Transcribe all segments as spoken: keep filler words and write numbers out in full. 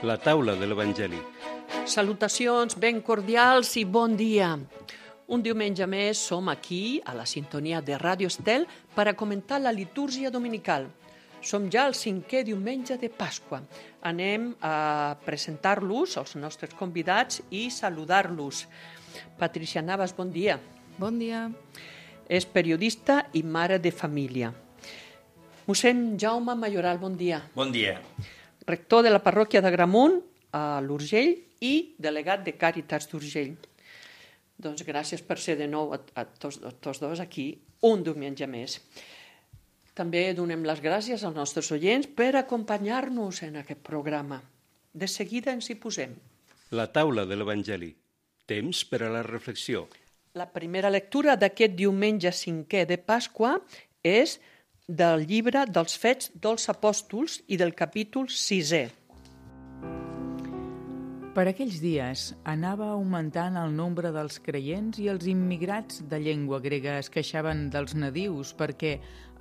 La taula de l'Evangeli. Salutacions ben cordials i bon dia. Un diumenge més som aquí, a la sintonia de Ràdio Estel, per a comentar la litúrgia dominical. Som ja el cinquè diumenge de Pasqua. Anem a presentar-los, els nostres convidats, i saludar-los. Patricia Navas, bon dia. Bon dia. És periodista i mare de família. Mossèn Jaume Mayoral, bon dia. Bon dia. Rector de la parròquia d'Agramunt, a l'Urgell, i delegat de Càritas d'Urgell. Doncs gràcies per ser de nou a, a tots, a tots dos aquí, un diumenge més. També donem les gràcies als nostres oients per acompanyar-nos en aquest programa. De seguida ens hi posem. La taula de l'Evangeli. Temps per a la reflexió. La primera lectura d'aquest diumenge cinquè de Pasqua és del llibre dels Fets dels Apòstols i del capítol sisè. Per aquells dies anava augmentant el nombre dels creients i els immigrats de llengua grega es queixaven dels nadius perquè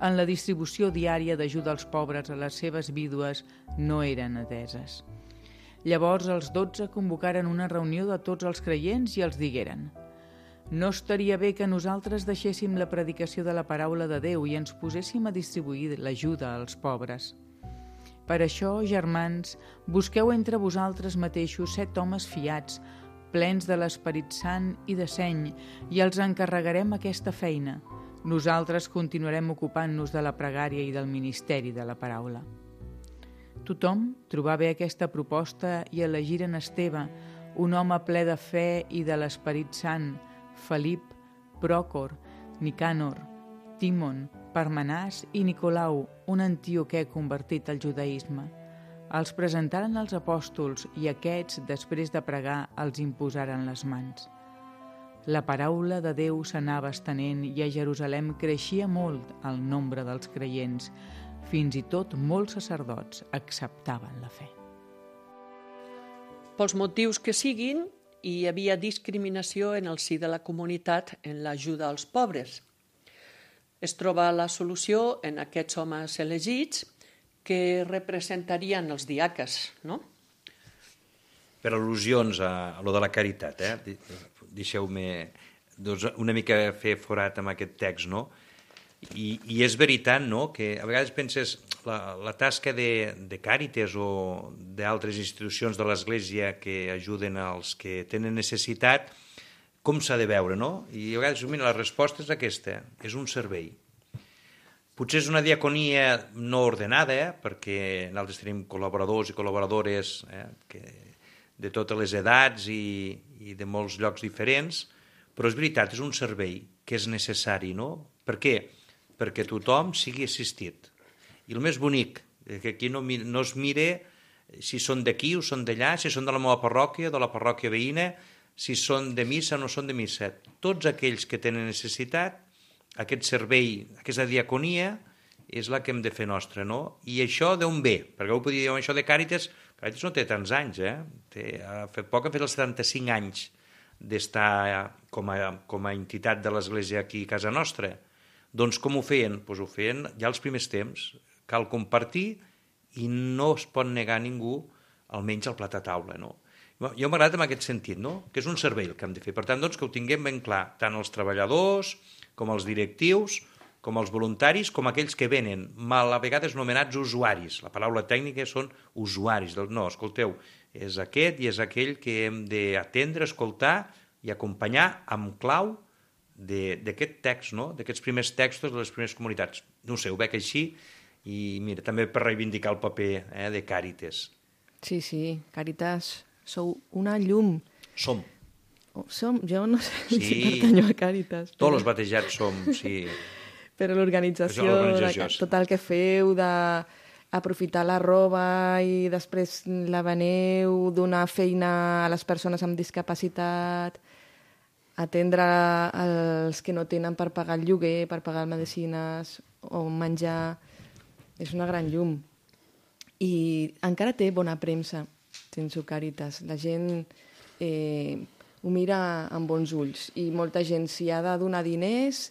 en la distribució diària d'ajuda als pobres a les seves vídues no eren ateses. Llavors els dotze convocaren una reunió de tots els creients i els digueren: no estaria bé que nosaltres deixéssim la predicació de la paraula de Déu i ens poséssim a distribuir l'ajuda als pobres. Per això, germans, busqueu entre vosaltres mateixos set homes fiats, plens de l'Esperit Sant i de seny, i els encarregarem aquesta feina. Nosaltres continuarem ocupant-nos de la pregària i del ministeri de la paraula. Tothom trobà bé aquesta proposta i elegiren Esteve, un home ple de fe i de l'Esperit Sant, Felip, Pròcor, Nicànor, Timon, Parmenàs i Nicolau, un antioquè convertit al judaïsme. Els presentaren als apòstols i aquests, després de pregar, els imposaren les mans. La paraula de Déu s'anava estenent i a Jerusalem creixia molt el nombre dels creients. Fins i tot molts sacerdots acceptaven la fe. Pels motius que siguin, hi havia discriminació en el si de la comunitat en l'ajuda als pobres. Es troba la solució en aquests homes elegits que representarien els diaques, no? Per al·lusions a, a lo de la caritat, eh? Deixeu-me doncs, una mica fer forat amb aquest text, no? I, i és veritat, no?, que a vegades penses la, la tasca de, de Càritas o d'altres institucions de l'Església que ajuden als que tenen necessitat, com s'ha de veure, no? I a vegades, mira, la resposta és aquesta, és un servei. Potser és una diaconia no ordenada, eh? Perquè nosaltres tenim col·laboradors i col·laboradores eh? que, de totes les edats i, i de molts llocs diferents, però és veritat, és un servei que és necessari, no? Per què? Perquè tothom sigui assistit. I el més bonic, que aquí no, no es mire si són d'aquí o són d'allà, si són de la meva parròquia, de la parròquia veïna, si són de missa o no són de missa. Tots aquells que tenen necessitat, aquest servei, aquesta diaconia, és la que hem de fer nostra, no? I això d'on ve? Perquè ho podria dir, això de Càritas, Càritas no té tants anys, eh? Té, ha fet poc, ha fet els setanta-cinc anys d'estar com a, com a entitat de l'Església aquí a casa nostra. Doncs com ho feien? Doncs ho feien ja als primers temps. Cal compartir i no es pot negar a ningú almenys el plat a taula, no? Jo m'ha agradat en aquest sentit, no? Que és un servei el que hem de fer. Per tant, doncs, que ho tinguem ben clar, tant els treballadors, com els directius, com els voluntaris, com aquells que venen, mal a vegades nomenats usuaris. La paraula tècnica són usuaris. No, escolteu, és aquest i és aquell que hem d'atendre, escoltar i acompanyar amb clau d'aquest text, no? D'aquests primers textos de les primeres comunitats. No ho sé, ho veig així i mira, també per reivindicar el paper eh, de Càritas. Sí, sí, Càritas, sou una llum. Som. Oh, som, jo no sé sí. si pertanyo a Càritas. Tots però... els batejats som, sí. Però l'organització, tot el que feu d'aprofitar la roba i després la veneu, donar feina a les persones amb discapacitat, atendre els que no tenen per pagar el lloguer, per pagar medicines o menjar, és una gran llum. I encara té bona premsa, sense Càritas. La gent eh, ho mira amb bons ulls i molta gent, si ha de donar diners,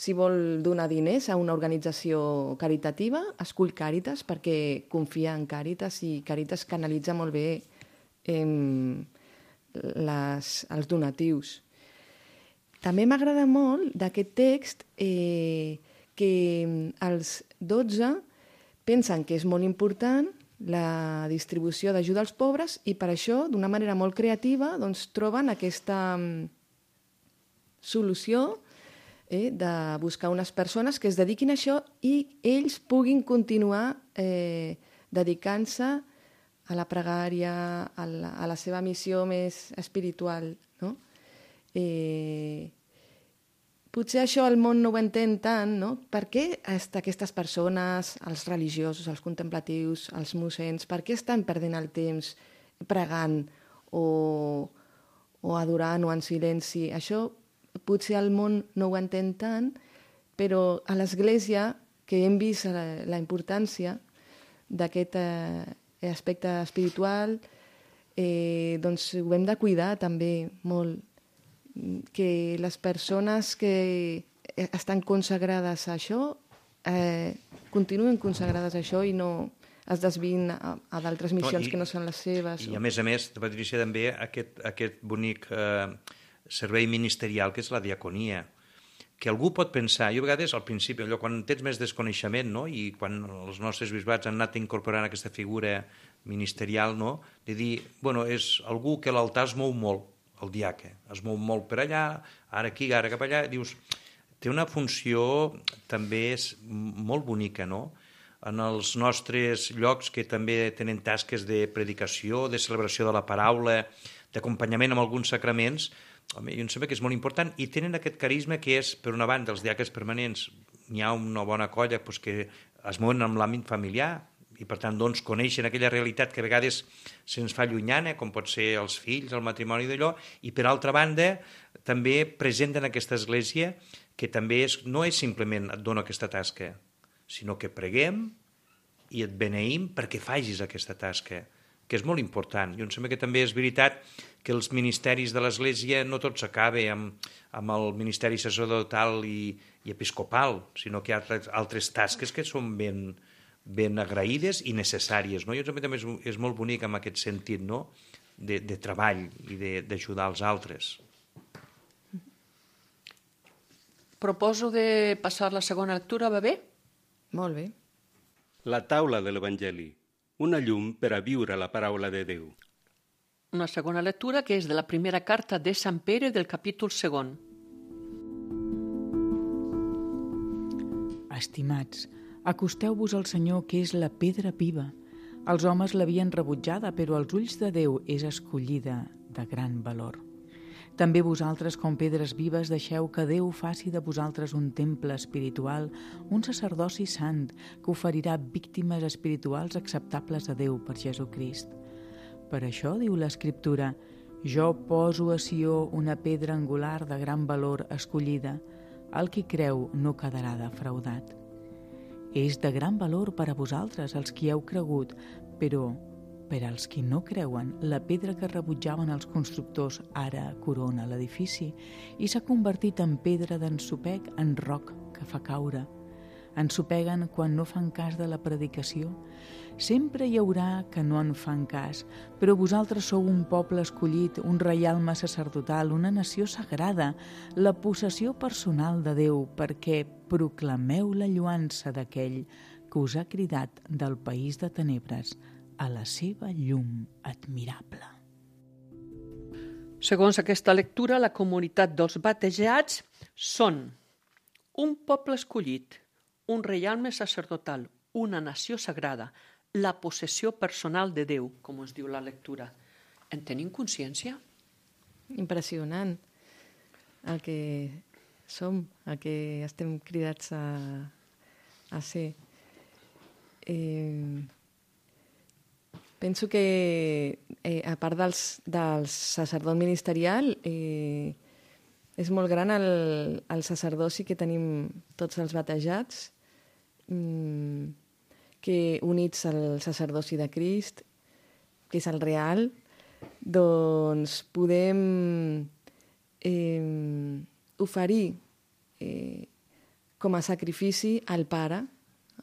si vol donar diners a una organització caritativa, escull Càritas perquè confia en Càritas i Càritas canalitza molt bé eh, les, els donatius. També m'agrada molt d'aquest text eh, que els dotze pensen que és molt important la distribució d'ajuda als pobres i per això, d'una manera molt creativa, doncs, troben aquesta solució eh, de buscar unes persones que es dediquin a això i ells puguin continuar eh, dedicant-se a la pregària, a la, a la seva missió més espiritual, no? Eh, potser això el món no ho entén tant, no? Per què aquestes persones, els religiosos, els contemplatius, els mossens, per què estan perdent el temps pregant o, o adorant o en silenci? Això potser el món no ho entén tant, però a l'Església, que hem vist la, la importància d'aquest eh, aspecte espiritual, eh, doncs ho hem de cuidar també molt, que les persones que estan consagrades a això eh, continuen consagrades a això i no es desvien a, a d'altres missions no, i, que no són les seves. I a més a més, Patricia, també aquest, aquest bonic eh, servei ministerial que és la diaconia, que algú pot pensar, jo a vegades al principi, allò, quan tens més desconeixement, no? I quan els nostres bisbats han anat incorporant aquesta figura ministerial, no? De dir, bueno, és algú que l'altar es mou molt, el diaca, es mou molt per allà, ara aquí, ara cap allà, dius, té una funció també és molt bonica, no? En els nostres llocs que també tenen tasques de predicació, de celebració de la paraula, d'acompanyament amb alguns sacraments, home, jo em sembla que és molt important i tenen aquest carisma que és, per una banda, els diaques permanents, n'hi ha una bona colla doncs, que es mouen amb l'àmbit familiar, i per tant doncs, coneixen aquella realitat que a vegades se'ns fa llunyana, com pot ser els fills, el matrimoni d'allò, i per altra banda també presenten aquesta església que també és, no és simplement et dono aquesta tasca, sinó que preguem i et beneïm perquè facis aquesta tasca, que és molt important. Jo em sembla que també és veritat que els ministeris de l'Església no tot s'acaba amb, amb el ministeri sacerdotal i, i episcopal, sinó que hi ha altres, altres tasques que són ben, ben agraïdes i necessàries. No? Jo també és, és molt bonic en aquest sentit, no? de, de treball i d'ajudar els altres. Proposo de passar la segona lectura, va bé? Molt bé. La taula de l'Evangeli, una llum per a viure la paraula de Déu. Una segona lectura que és de la primera carta de Sant Pere del capítol segon. Estimats, acosteu-vos al Senyor, que és la pedra viva. Els homes l'havien rebutjada, però als ulls de Déu és escollida de gran valor. També vosaltres, com pedres vives, deixeu que Déu faci de vosaltres un temple espiritual, un sacerdoci sant, que oferirà víctimes espirituals acceptables a Déu per Jesucrist. Per això, diu l'Escriptura, jo poso a Sió una pedra angular de gran valor escollida, el qui creu no quedarà defraudat. És de gran valor per a vosaltres, els qui heu cregut, però per als qui no creuen, la pedra que rebutjaven els constructors ara corona l'edifici i s'ha convertit en pedra d'ensopeg, en roc que fa caure. Ensopeguen quan no fan cas de la predicació. Sempre hi haurà que no en fan cas, però vosaltres sou un poble escollit, un reialme sacerdotal, una nació sagrada, la possessió personal de Déu, perquè proclameu la lluança d'aquell que us ha cridat del país de tenebres a la seva llum admirable. Segons aquesta lectura, la comunitat dels batejats són un poble escollit, un reialme sacerdotal, una nació sagrada, la possessió personal de Déu, com es diu la lectura. En tenim consciència? Impressionant el que som, el que estem cridats a, a ser. Eh... Penso que, eh, a part dels, del sacerdot ministerial, eh, és molt gran el, el sacerdoci que tenim tots els batejats, mm, que units al sacerdoci de Crist, que és el real, doncs podem eh, oferir eh, com a sacrifici al Pare,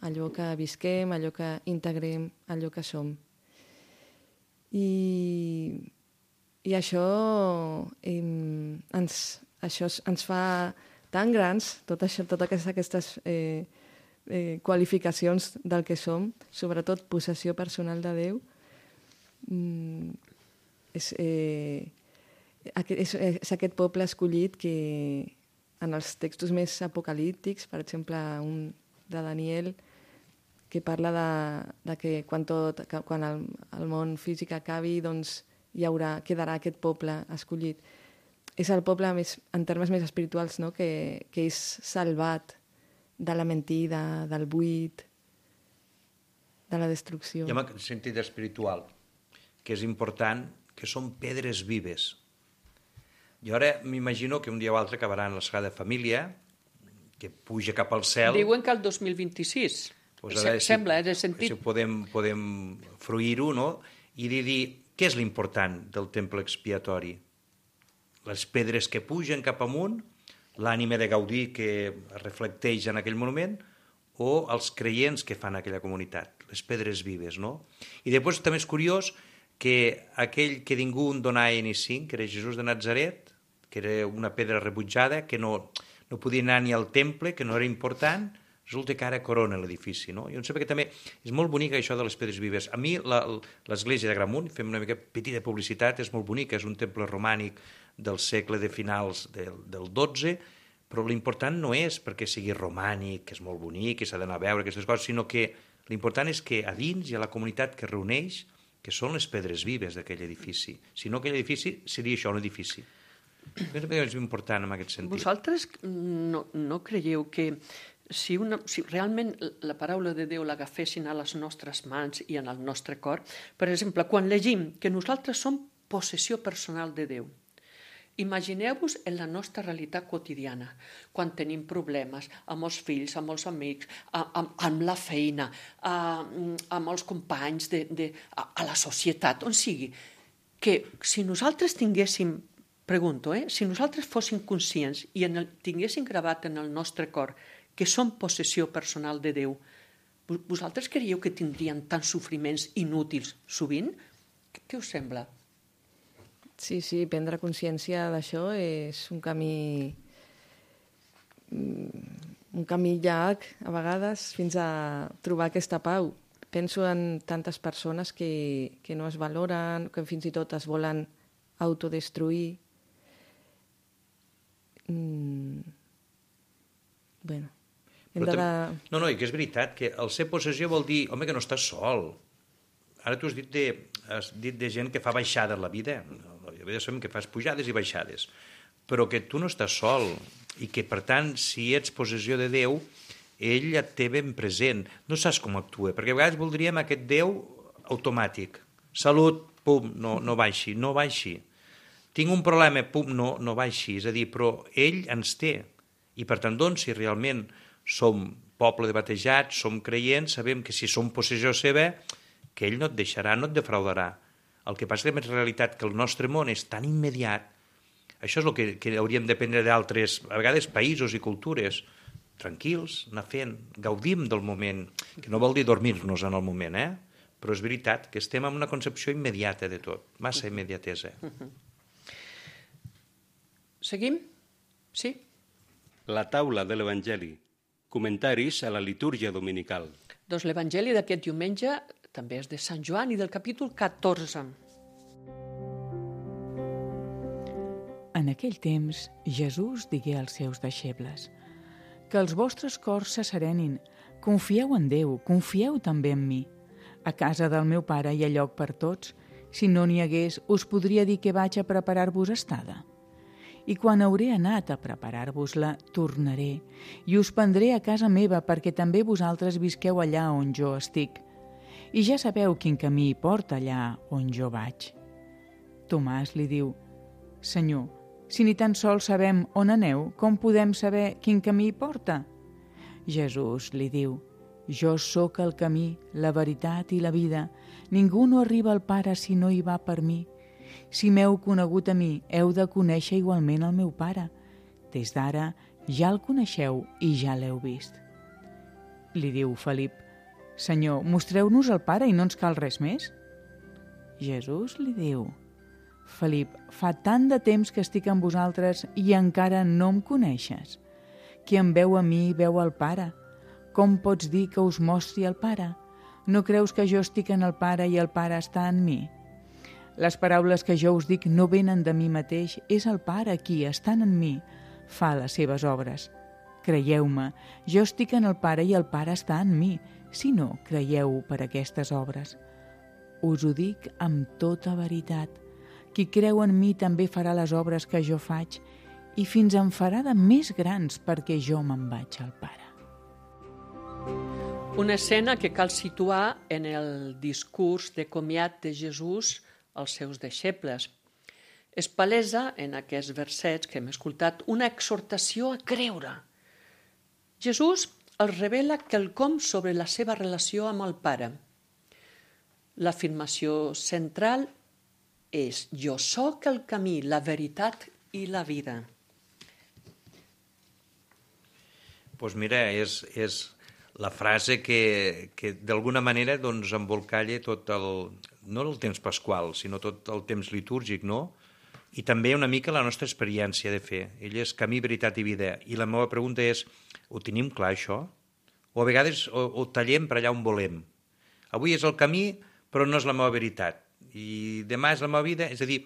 allò que visquem, allò que integrem, allò que som. I, i això, eh, ens, això ens fa tan grans, tot això, totes aquestes eh, eh, qualificacions del que som, sobretot possessió personal de Déu, mm, és, eh, és, és aquest poble escollit que en els textos més apocalíptics, per exemple, un de Daniel, que parla de, de que quan, tot, que quan el, el món físic acabi, doncs hi haurà, quedarà aquest poble escollit. És el poble, més, en termes més espirituals, no? que, que és salvat de la mentida, del buit, de la destrucció. I en aquest sentit espiritual, que és important, que són pedres vives. I ara m'imagino que un dia o altre acabaran la Sagrada Família, que puja cap al cel. Diuen que el dos mil vint-i-sis. Pues ara, si, sembla, eh, de sentit. Si podem, podem fruir-ho, no? I dir, dir què és l'important del temple expiatori? Les pedres que pugen cap amunt, l'ànima de Gaudí que reflecteix en aquell monument, o els creients que fan aquella comunitat, les pedres vives, no? I després també és curiós que aquell que ningú en donava ni cinc, que era Jesús de Nazaret, que era una pedra rebutjada, que no, no podia anar ni al temple, que no era important, resulta que ara corona l'edifici, no? Jo em sembla que també és molt bonica això de les pedres vives. A mi l'església de Gramunt, fem una mica petita publicitat, és molt bonica, és un temple romànic del segle de finals del, del dotze, però l'important no és perquè sigui romànic, que és molt bonic, que s'ha d'anar a veure aquestes coses, sinó que l'important és que a dins hi ha la comunitat que reuneix, que són les pedres vives d'aquell edifici. Si no, aquell edifici seria això, un edifici. És important en aquest sentit. Vosaltres no, no creieu que si, una, si realment la paraula de Déu l'agafessin a les nostres mans i en el nostre cor, per exemple, quan llegim que nosaltres som possessió personal de Déu, imagineu-vos en la nostra realitat quotidiana, quan tenim problemes amb els fills, amb els amics, amb, amb la feina, amb els companys, de, de, a, a la societat, on sigui, que si nosaltres tinguéssim, pregunto, eh, si nosaltres fóssim conscients i en el, tinguéssim gravat en el nostre cor que som possessió personal de Déu, vosaltres creieu que tindrien tants sofriments inútils sovint? Què us sembla? Sí, sí, prendre consciència d'això és un camí un camí llarg, a vegades, fins a trobar aquesta pau. Penso en tantes persones que, que no es valoren, que fins i tot es volen autodestruir. Mm. Bueno, hem de... No, no, i que és veritat, que el ser possessió vol dir, home, que no estàs sol. Ara tu has dit de, has dit de gent que fa baixades a la vida. La vida sabem que fas pujades i baixades, però que tu no estàs sol i que, per tant, si ets possessió de Déu, ell et té ben present. No saps com actua, perquè a vegades voldríem aquest Déu automàtic. Salut, pum, no, no baixi, no baixi. Tinc un problema, pum, no, no baixi. És a dir, però ell ens té. I, per tant, doncs, si realment som poble de batejats, som creients, sabem que si som possessió seva, que ell no et deixarà, no et defraudarà. El que passa és que és realitat que el nostre món és tan immediat. Això és el que, que hauríem d'aprendre d'altres, a vegades, països i cultures. Tranquils, anar fent, gaudim del moment, que no vol dir dormir-nos en el moment, eh? Però és veritat que estem en una concepció immediata de tot, massa immediatesa. Seguim? Sí? La taula de l'Evangeli. Comentaris a la litúrgia dominical. Doncs l'Evangeli d'aquest diumenge també és de Sant Joan i del capítol catorze. En aquell temps, Jesús digué als seus deixebles: que els vostres cors se serenin, confieu en Déu, confieu també en mi. A casa del meu pare hi ha lloc per tots. Si no n'hi hagués, us podria dir que vaig a preparar-vos estada. I quan hauré anat a preparar-vos-la, tornaré i us prendré a casa meva perquè també vosaltres visqueu allà on jo estic. I ja sabeu quin camí hi porta allà on jo vaig. Tomàs li diu: Senyor, si ni tan sols sabem on aneu, com podem saber quin camí hi porta? Jesús li diu: Jo sóc el camí, la veritat i la vida. Ningú no arriba al Pare si no hi va per mi. Si m'heu conegut a mi, heu de conèixer igualment el meu Pare. Des d'ara ja el coneixeu i ja l'heu vist. Li diu Felip: Senyor, mostreu-nos el Pare i no ens cal res més? Jesús li diu: Felip, fa tant de temps que estic amb vosaltres i encara no em coneixes. Qui em veu a mi veu el Pare. Com pots dir que us mostri el Pare? No creus que jo estic en el Pare i el Pare està en mi? Les paraules que jo us dic no venen de mi mateix, és el Pare qui, estant en mi, fa les seves obres. Creieu-me, jo estic en el Pare i el Pare està en mi, si no, creieu per aquestes obres. Us ho dic amb tota veritat. Qui creu en mi també farà les obres que jo faig i fins en farà de més grans perquè jo me'n vaig al Pare. Una escena que cal situar en el discurs de comiat de Jesús als seus deixebles. És palesa, en aquests versets que hem escoltat, una exhortació a creure. Jesús els revela quelcom sobre la seva relació amb el Pare. L'afirmació central és: jo sóc el camí, la veritat i la vida. Doncs pues mira, és, és la frase que, que d'alguna manera doncs, embolcalla tot el, no el temps pasqual, sinó tot el temps litúrgic, no? I també una mica la nostra experiència de fer. Ell és camí, veritat i vida. I la meva pregunta és: ho tenim clar, això? O a vegades ho, ho tallem per allà on volem. Avui és el camí, però no és la meva veritat. I demà és la meva vida. És a dir,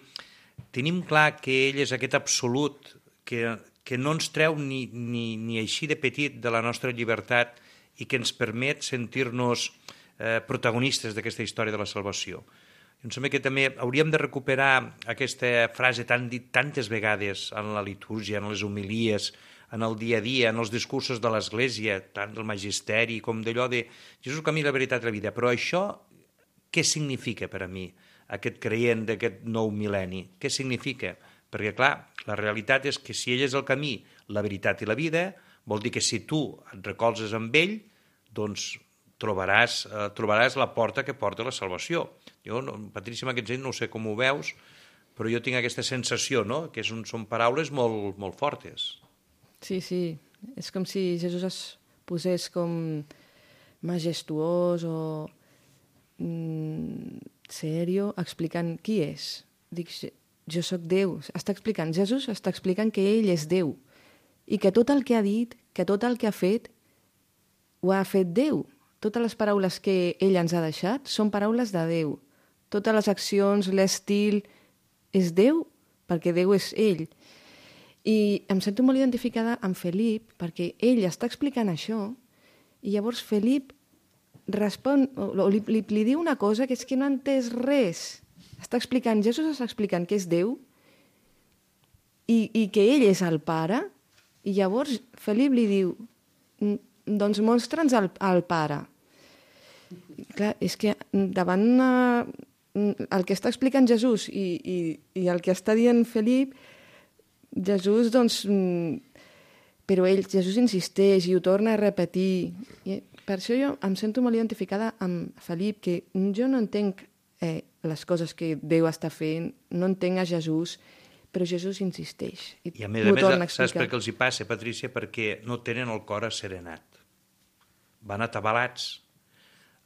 tenim clar que ell és aquest absolut que, que no ens treu ni, ni, ni així de petit de la nostra llibertat i que ens permet sentir-nos eh, protagonistes d'aquesta història de la salvació. Em sembla que també hauríem de recuperar aquesta frase tan dit tantes vegades en la litúrgia, en les homilies, en el dia a dia, en els discursos de l'Església, tant del magisteri com d'allò de Jesús, el camí, la veritat i la vida. Però això, què significa per a mi, aquest creient d'aquest nou mil·lenni? Què significa? Perquè, clar, la realitat és que si ell és el camí, la veritat i la vida, vol dir que si tu et recolzes amb ell, doncs trobaràs, eh, trobaràs la porta que porta la salvació. Jo, no, Patrícia, en aquest sentit, no sé com ho veus, però jo tinc aquesta sensació, no?, que són, són paraules molt, molt fortes. Sí, sí. És com si Jesús es posés com majestuós o mm, serio, explicant qui és. Dic, jo sóc Déu. Està explicant, Jesús està explicant que ell és Déu i que tot el que ha dit, que tot el que ha fet, ho ha fet Déu. Totes les paraules que ell ens ha deixat són paraules de Déu. Totes les accions, l'estil, és Déu, perquè Déu és ell. I em sento molt identificada amb Felip, perquè ell està explicant això, i llavors Felip respon, o li, li, li diu una cosa que és que no ha entès res. Està explicant, Jesús està explicant que és Déu, i, i que ell és el Pare, i llavors Felip li diu, doncs mostra'ns el, el Pare. Clar, és que davant uh, el que està explicant Jesús i, i, i el que està dient Felip, Jesús, doncs, però ell, Jesús insisteix i ho torna a repetir. I per això jo em sento molt identificada amb Felip, que jo no entenc eh, les coses que Déu està fent, no entenc a Jesús, però Jesús insisteix. I, I a més a més, saps per què els hi passa, Patrícia? Perquè no tenen el cor asserenat. Van atabalats.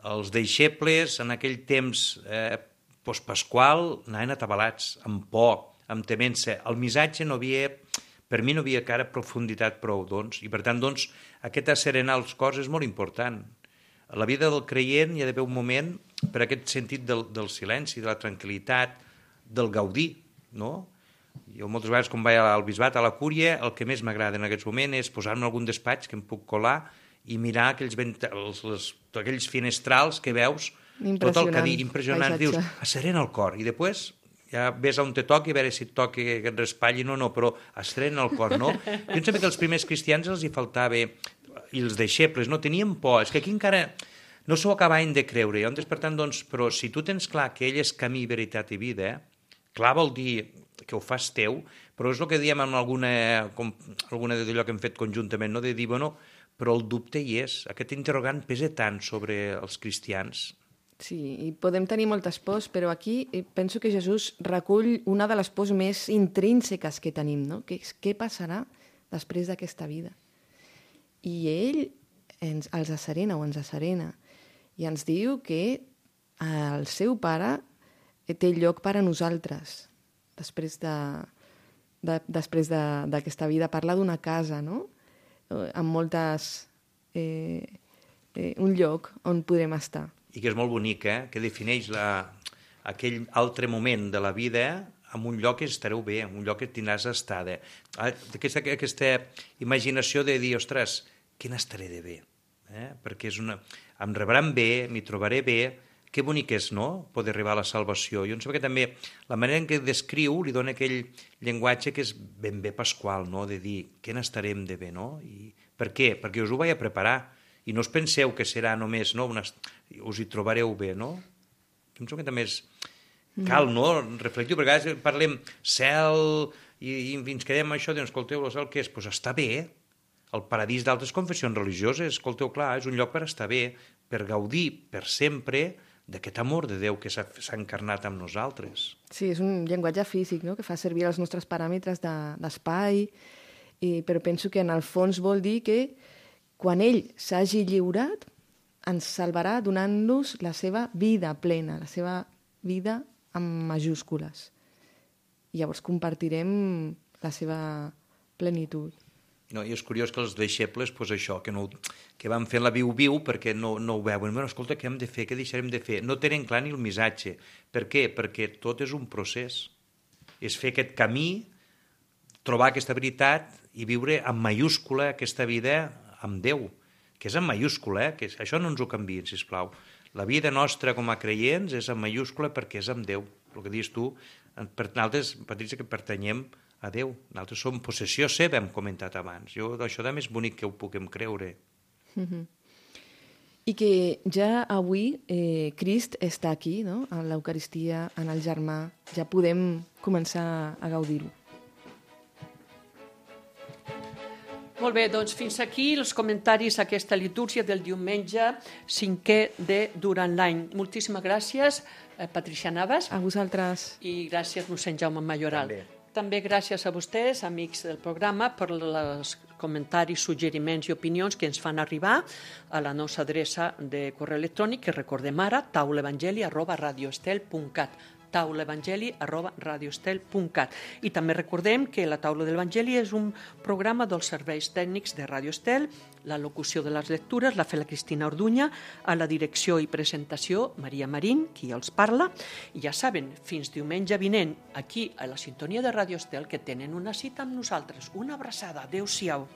Els deixebles, en aquell temps eh, postpasqual, anaven atabalats, amb por, amb temença. El missatge no havia, per mi no havia encara profunditat prou, doncs, i per tant, doncs, aquest asserenar els cors és molt important. A la vida del creient hi ha d'haver un moment per aquest sentit del, del silenci, de la tranquil·litat, del gaudir, no? Jo moltes vegades, quan vaig al bisbat, a la cúria, el que més m'agrada en aquests moments és posar-me en algun despatx que em puc colar i mirar aquells, vent... els, les... aquells finestrals que veus, tot el que dic, impressionant, dius, asserena el cor, i després ja ves on te toqui, a veure si et toqui que et raspalli, no, no, però asserena el cor, no? Jo em sembla que els primers cristians els hi faltava, i els deixebles, no tenien por, és que aquí encara no s'ho acabaven de creure, llavors, per tant, doncs, però si tu tens clar que ell és camí, veritat i vida, clar vol dir que ho fas teu, però és el que diem en alguna, com, alguna d'allò que hem fet conjuntament, no? De dir, bueno, però el dubte hi és. Aquest interrogant pesa tant sobre els cristians. Sí, i podem tenir moltes pors, però aquí penso que Jesús recull una de les pors més intrínseques que tenim, no? Que és què passarà després d'aquesta vida. I ell ens, els asserena o ens asserena i ens diu que el seu pare té lloc per a nosaltres després de, de, després d'aquesta de, vida. Parla d'una casa, no? Amb moltes... Eh, eh, un lloc on podrem estar. I que és molt bonic, eh? Que defineix la, aquell altre moment de la vida en un lloc que estareu bé, en un lloc que tindràs estada. Aquesta, aquesta imaginació de dir, ostres, què n'estaré de bé? Eh? Perquè és una... em rebran bé, m'hi trobaré bé, que bonic és, no?, poder arribar a la salvació. Jo em sembla que també la manera en què descriu li dona aquell llenguatge que és ben bé pasqual, no?, de dir, què n'estarem de bé, no? I per què? Perquè us ho vaig a preparar. I no us penseu que serà només, no, una... us hi trobareu bé, no? Jo em sembla que també és... cal, no?, reflectiu, perquè a vegades parlem cel i, i ens quedem això, doncs, escolteu, el cel què és? Doncs pues està bé. El paradís d'altres confessions religioses, escolteu, clar, és un lloc per estar bé, per gaudir per sempre d'aquest amor de Déu que s'ha encarnat amb nosaltres. Sí, és un llenguatge físic, no?, que fa servir els nostres paràmetres d'espai, de, però penso que en el fons vol dir que quan ell s'hagi lliurat, ens salvarà donant-nos la seva vida plena, la seva vida amb majúscules. I llavors compartirem la seva plenitud. No, i és curiós que els deixebles, pues això, que, no, que van fent la viu-viu perquè no, no ho veuen. Bueno, escolta, què hem de fer? Què deixarem de fer? No tenen clar ni el missatge. Per què? Perquè tot és un procés. És fer aquest camí, trobar aquesta veritat i viure amb mayúscula aquesta vida amb Déu, que és en mayúscula, eh? Que això no ens ho canviïn, sisplau. La vida nostra com a creients és en mayúscula perquè és amb Déu. El que dius tu, per nosaltres, Patrícia, que pertanyem a Déu. Nosaltres som possessió seva, hem comentat abans. Jo, això també és bonic que ho puguem creure. Mm-hmm. I que ja avui eh, Crist està aquí, no?, en l'Eucaristia, en el germà. Ja podem començar a gaudir-ho. Molt bé, doncs fins aquí els comentaris a aquesta litúrgia del diumenge cinquè de durant l'any. Moltíssimes gràcies, eh, Patricia Navas. A vosaltres. I gràcies, mossèn Jaume Majoral. També. També gràcies a vostès, amics del programa, per els comentaris, suggeriments i opinions que ens fan arribar a la nostra adreça de correu electrònic, que recordem ara, taulaevangeli arroba radioestel punt cat. taulaevangeli arroba radioestel punt cat. I també recordem que la Taula de l'Evangeli és un programa dels serveis tècnics de Radio Estel, la locució de les lectures la fa la Cristina Orduña, a la direcció i presentació Maria Marín, qui els parla. I ja saben, fins diumenge vinent, aquí a la sintonia de Radio Estel, que tenen una cita amb nosaltres. Una abraçada. Adéu-siau.